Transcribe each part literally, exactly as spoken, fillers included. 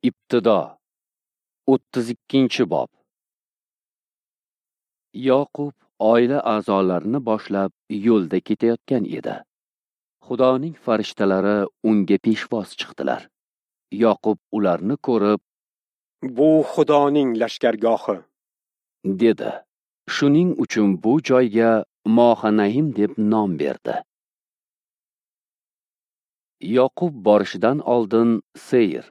Ibtido o'ttiz ikkinchi bob. Yoqub oila a'zolarini boshlab yo'lda ketayotgan edi. Xudoning farishtalari unga peshvoz chiqdilar. Yoqub ularni ko'rib, "Bu Xudoning lashkargohi" dedi. Shuning uchun bu joyga Mohanaim deb nom berdi. Yoqub borishidan oldin Seyr,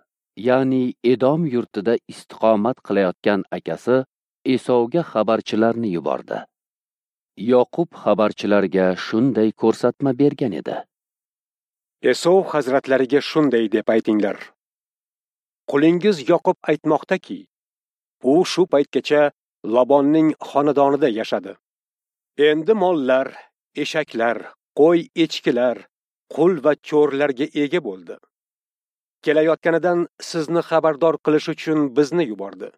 ya'ni Edom yurtida istiqomat qilayotgan akasi Esovga xabarchilarni yubordi. Yoqub xabarchilarga shunday ko'rsatma bergan edi: Esov hazratlariga shunday deb aytinglar: Qulingiz Yoqub aytmoqdaki, u shu paytgacha Lobonning xonadonida yashadi. Endi mollar, eshaklar, qo'y echkilar, qul va cho'rlarga ega bo'ldi. Kelayotganidan sizni xabardor qilish uchun bizni yubordi.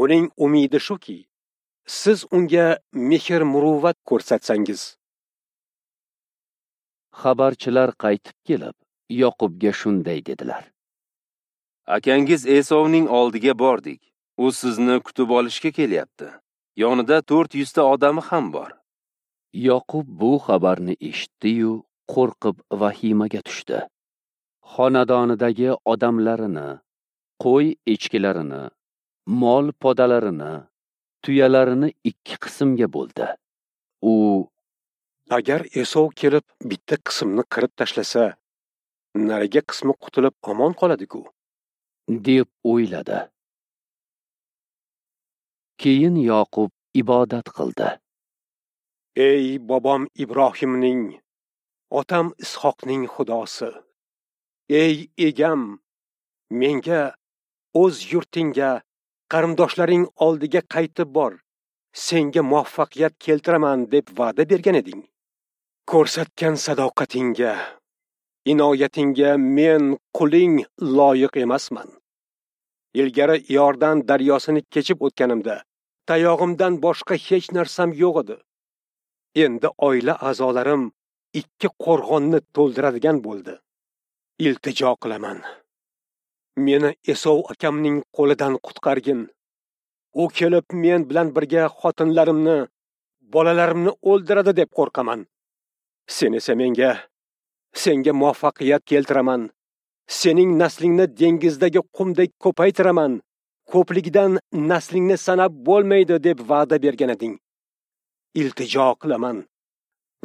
Uning umidi shuki, siz unga mehr-muruvvat ko'rsatsangiz. Xabarchilar qaytib kelib, Yoqubga shunday dedilar: Akangiz Esovning oldiga bordik. U sizni kutib olishga kelyapti. Yonida to'rt yuzta odami ham bor. Yoqub bu xabarni eshitdi-yu, qo'rqib vahimaga tushdi. Xonadonidagi odamlarini, qo'y echkilarini, mol podalarini, tuyalarini ikki qismga bo'ldi. U: Agar Esov kelib bitta qismni qirib tashlasa, narigi qismi qutulib omon qoladi-ku, deb o'yladi. Keyin Yoqub ibodat qildi. Ey bobom Ibrohimning, otam Ishoqning Xudosi, ey egam, menga o'z yurtingga, qarindoshlaring oldiga qaytib bor, senga muvaffaqiyat keltiraman deb va'da bergan eding. Ko'rsatgan sadoqatingga, inoyatingga men quling loyiq emasman. Ilgari Iordan daryosini kechib o'tganimda tayog'imdan boshqa hech narsam yo'q edi. Endi oila a'zolarim ikki qo'rg'onni to'ldiradigan bo'ldi. Iltijo qilaman, meni Esov akamning qo'lidan qutqargin. U kelib men bilan birga xotinlarimni, bolalarimni o'ldiradi deb qo'rqaman. Sen esa menga, senga muvaffaqiyat keltiraman, sening naslingni dengizdagi qumdek ko'paytiraman, ko'pligidan naslingni sanab bo'lmaydi deb va'da bergan eding. Iltijo qilaman,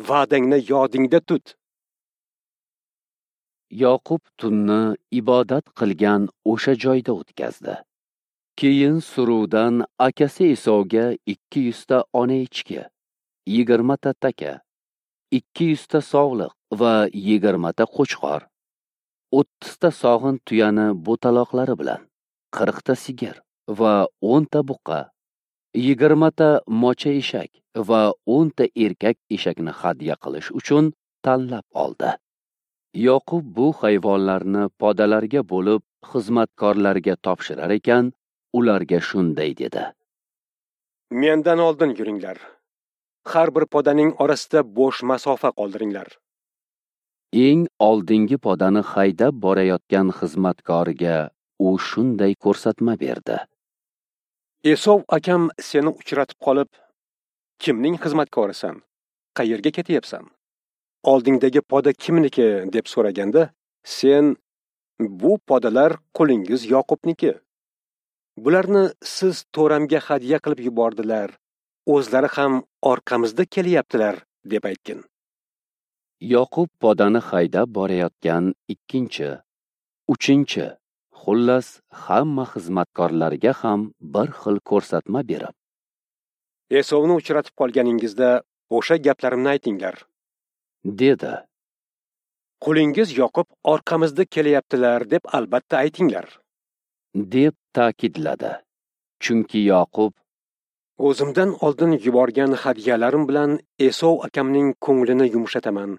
va'dangni yodingda tut. Yoqub tunni ibodat qilgan o'sha joyda o'tkazdi. Keyin suruvdan akasi Esovga ikki yuzta ona echki, yigirmata taka, ikki yuzta sog'liq va yigirmata qo'chqor, o'ttizta sog'in tuyani bo'taloqlari bilan, qirqta sigir va o'nta buqa, yigirmata mocha eshak va o'nta erkak eshakni hadya qilish uchun tanlab oldi. Yoqub bu hayvonlarni podalarga bo'lib xizmatkorlarga topshirar ekan, ularga shunday dedi: Mendan oldin yuringlar. Har bir podaning orasida bo'sh masofa qoldiringlar. Eng oldingi podani haydab borayotgan xizmatkoriga u shunday ko'rsatma berdi: Esov akam seni uchratib qolib, kimning xizmatkorisan? Qayerga ketyapsan? Oldingdagi poda kimniki deb so'raganda, sen: bu podalar qulingiz Yoqubniki. Bularni siz to'ramga hadya qilib yubordilar. O'zlari ham orqamizda kelyaptilar deb aytgin. Yoqub podani haydab borayotgan ikkinchi, uchinchi, xullas hamma xizmatkorlarga ham bir xil ko'rsatma berib, Esovni uchratib qolganingizda o'sha gaplarimni aytinglar, dedi. Qulingiz Yoqub orqamizda kelyaptilar deb albatta aytinglar, deb ta'kidladi. Chunki Yoqub: O'zimdan oldin yuborgan hadyalarim bilan Esov akamning ko'nglini yumshataman.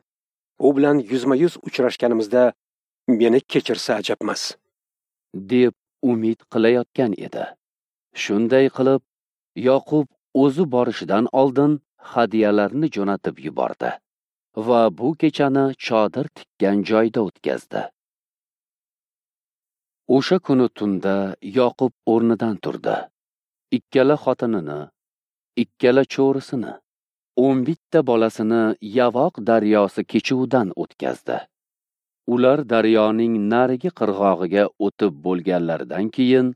U bilan yuzma-yuz uchrashganimizda meni kechirsa ajabmas, deb umid qilayotgan edi. Shunday qilib, Yoqub o'zi borishidan oldin hadyalarni jo'natib yubordi va bu kechani chodir tikkan joyda o'tkazdi. O'sha kuni tunda Yoqub o'rnidan turdi. Ikkala xotinini, ikkala cho'risini, o'n bitta bolasini Yavoq daryosi kechuvidan o'tkazdi. Ular daryoning narigi qirg'og'iga o'tib bo'lganlaridan keyin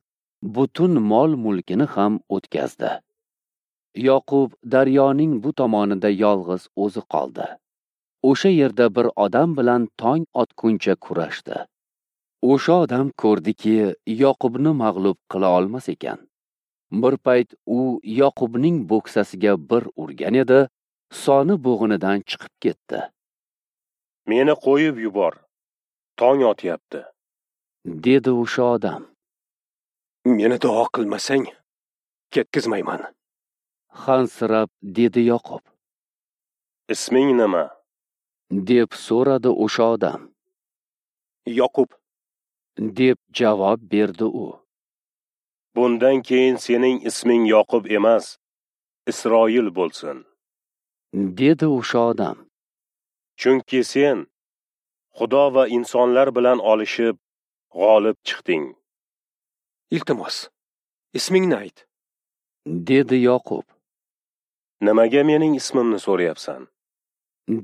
butun mol-mulkini ham o'tkazdi. Yoqub daryoning bu tomonida yolg'iz o'zi qoldi. O'sha yerda bir odam bilan tong otguncha kurashdi. O'sha odam ko'rdiki, Yoqubni mag'lub qila olmas ekan. Bir payt u Yoqubning bo'ksasiga bir urgan edi, soni bo'g'inidan chiqib ketdi. Meni qo'yib yubor. Tong otyapti, dedi o'sha odam. Meni duo qilmasang, ketkizmayman. Hansirab dedi Yoqub. Isming nima? Deb so'radi o'sha odam. Yoqub, deb javob berdi u. Bundan keyin sening isming Yoqub emas, Isroil bo'lsin, dedi o'sha odam. Chunki sen Xudo va insonlar bilan olishib g'olib chiqding. Iltimos, ismingni ayt, dedi Yoqub. Nimaga mening ismimni so'rayapsan?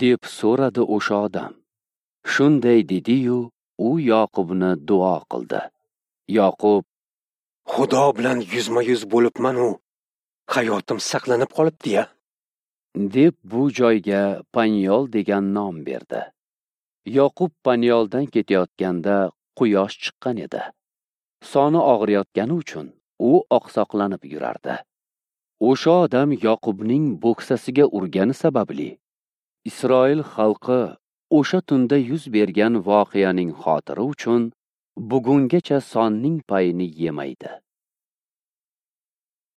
Deb so'radi o'sha odam. Shunday dedi-yu, u Yoqubni duo qildi. Yoqub: Xudo bilan yuzma-yuz bo'libman-u, hayotim saqlanib qolibdi-ya, deb bu joyga Panyol degan nom berdi. Yoqub Panyoldan ketayotganda quyosh chiqqan edi. Soni og'riyotgani uchun u oqsoqlanib yurardi. O'sha odam Yoqubning bo'ksasiga urgani sababli Isroil xalqi o'sha tunda yuz bergan voqeaning xotiri uchun bugungacha sonning payini yemaydi.